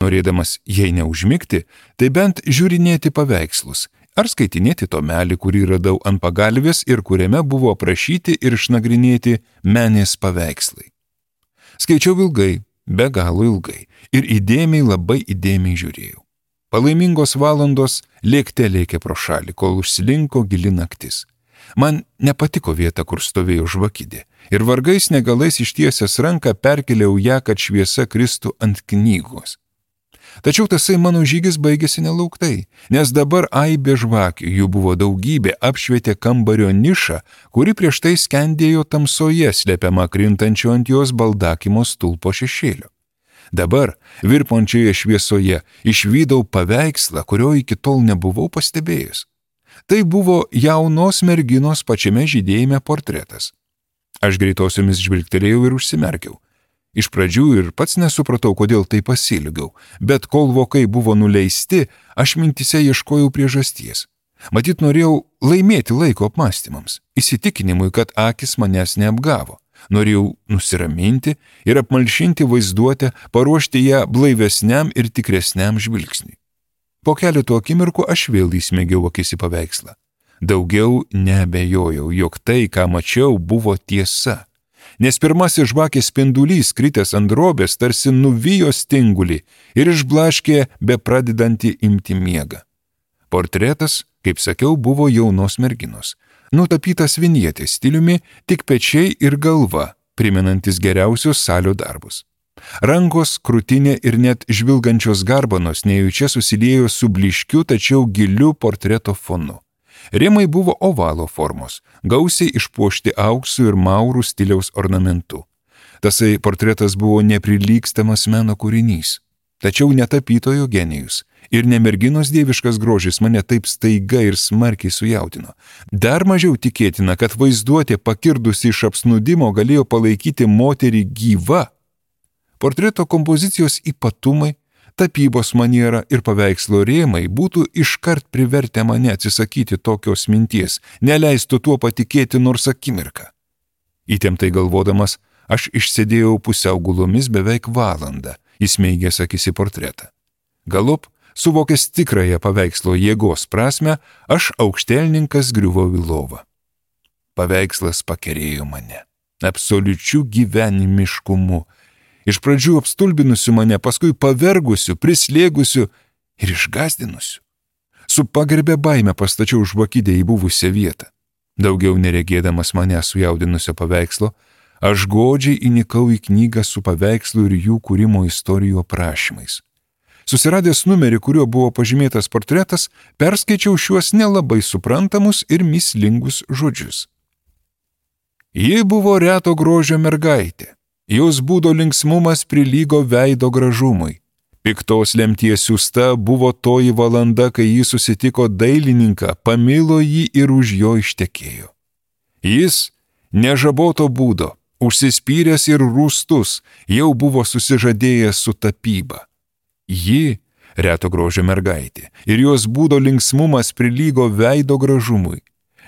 norėdamas jei neužmigti, tai bent žiūrinėti paveikslus ar skaitinėti tomelį, kurį radau ant pagalvės ir kuriame buvo aprašyti ir išnagrinėti menės paveikslai. Skaičiau ilgai, be galo ilgai ir įdėmiai, labai įdėmiai žiūrėjau. Palaimingos valandos lėkte lėkė pro šalį, kol užsilinko gili naktis. Man nepatiko vieta, kur stovėjo žvakidė, ir vargais negalais ištiesęs ranką perkėliau ją, kad šviesa kristų ant knygos. Tačiau tasai mano žygis baigėsi nelauktai, nes dabar aibė žvakių, jų buvo daugybė, apšvietė kambario nišą, kuri prieš tai skendėjo tamsoje, slepiama krintančio ant jos baldakimo stulpo šešėlio. Dabar, virpančioje šviesoje, išvydau paveikslą, kurio iki tol nebuvau pastebėjęs. Tai buvo jaunos merginos pačiame žydėjime portretas. Aš greitosiomis žvilgtelėjau ir užsimerkiau. Iš pradžių ir pats nesupratau, kodėl tai pasilgiau, bet kol vokai buvo nuleisti, aš mintise ieškojau priežasties. Matyt, norėjau laimėti laiko apmąstymams, įsitikinimui, kad akis manęs neapgavo. Norėjau nusiraminti ir apmalšinti vaizduotę, paruošti ją blaivesniam ir tikresniam žvilgsniui. Po keletų akimirkų aš vėl įsmėgiau akis į paveikslą. Daugiau neabejojau, jog tai, ką mačiau, buvo tiesa. Nes pirmasis žvakės spindulys, kritęs ant drobės, tarsi nuvijo stingulį ir išblaškė bepradedantį imti miegą. Portretas, kaip sakiau, buvo jaunos merginos. Nutapytas vinjetės stiliumi, tik pečiai ir galva, primenantis geriausius salio darbus. Rankos, krūtinė ir net žvilgančios garbanos nejučia susiliejo su blyškiu, tačiau giliu portreto fonu. Rėmai buvo ovalo formos, gausiai išpuošti auksų ir maurų stiliaus ornamentu. Tasai portretas buvo neprilygstamas meno kūrinys. Tačiau ne tapytojo genijus ir ne merginos dieviškas grožis mane taip staiga ir smarkiai sujaudino. Dar mažiau tikėtina, kad vaizduotė pakirdusi iš apsnūdimo galėjo palaikyti moterį gyvą. Portreto kompozicijos ypatumai, tapybos maniera ir paveikslo rėmai būtų iškart privertę mane atsisakyti tokios minties, neleistų tuo patikėti nors akimirką. Įtemptai galvodamas, aš išsėdėjau pusiau gulomis beveik valandą, įsmeigęs akis į portretą. Galop, suvokęs tikrąją paveikslo jėgos prasme, aš aukštelninkas griuvau į lovą. Paveikslas pakerėjo mane, absoliučiu gyvenimiškumu, iš pradžių apstulbinusiu mane, paskui pavergusiu, prislėgusiu ir išgąsdinusiu. Su pagarbia baime pastačiau žvakidę į buvusią vietą. Daugiau neregėdamas mane sujaudinusio paveikslo, aš godžiai įnikau į knygą su paveikslu ir jų kūrimo istorijų aprašymais. Susiradęs numerį, kuriuo buvo pažymėtas portretas, perskaičiau šiuos nelabai suprantamus ir mįslingus žodžius. Ji buvo reto grožio mergaitė. Jos būdo linksmumas prilygo veido gražumui. Piktos lemties siųsta buvo toji valanda, kai ji susitiko dailininką, pamilo jį ir už jo ištekėjo. Jis, nežaboto būdo, užsispyręs ir rūstus, jau buvo susižadėjęs su tapyba. Ji, reto grožio mergaitė, ir jos būdo linksmumas prilygo veido gražumui.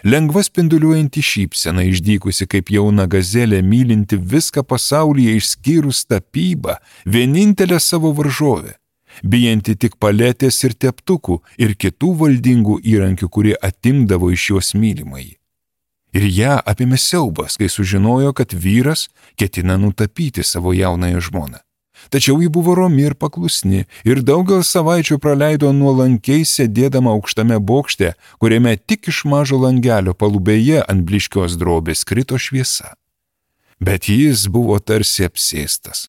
Lengva spinduliuojanti šypsena, išdykusi kaip jauna gazelė, mylinti viską pasaulyje išskyrus tapybą, vienintelė savo varžovė, bijanti tik paletės ir teptukų ir kitų valdingų įrankių, kurie atimdavo iš jos mylimąjį. Ir ją apėmė siaubas, kai sužinojo, kad vyras ketina nutapyti savo jaunąją žmoną. Tačiau ji buvo romi ir paklusni ir daugel savaičių praleido nuolankiai sėdėdama aukštame bokšte, kuriame tik iš mažo langelio palubėje ant blyškios drobės krito šviesa. Bet jis buvo tarsi apsėstas.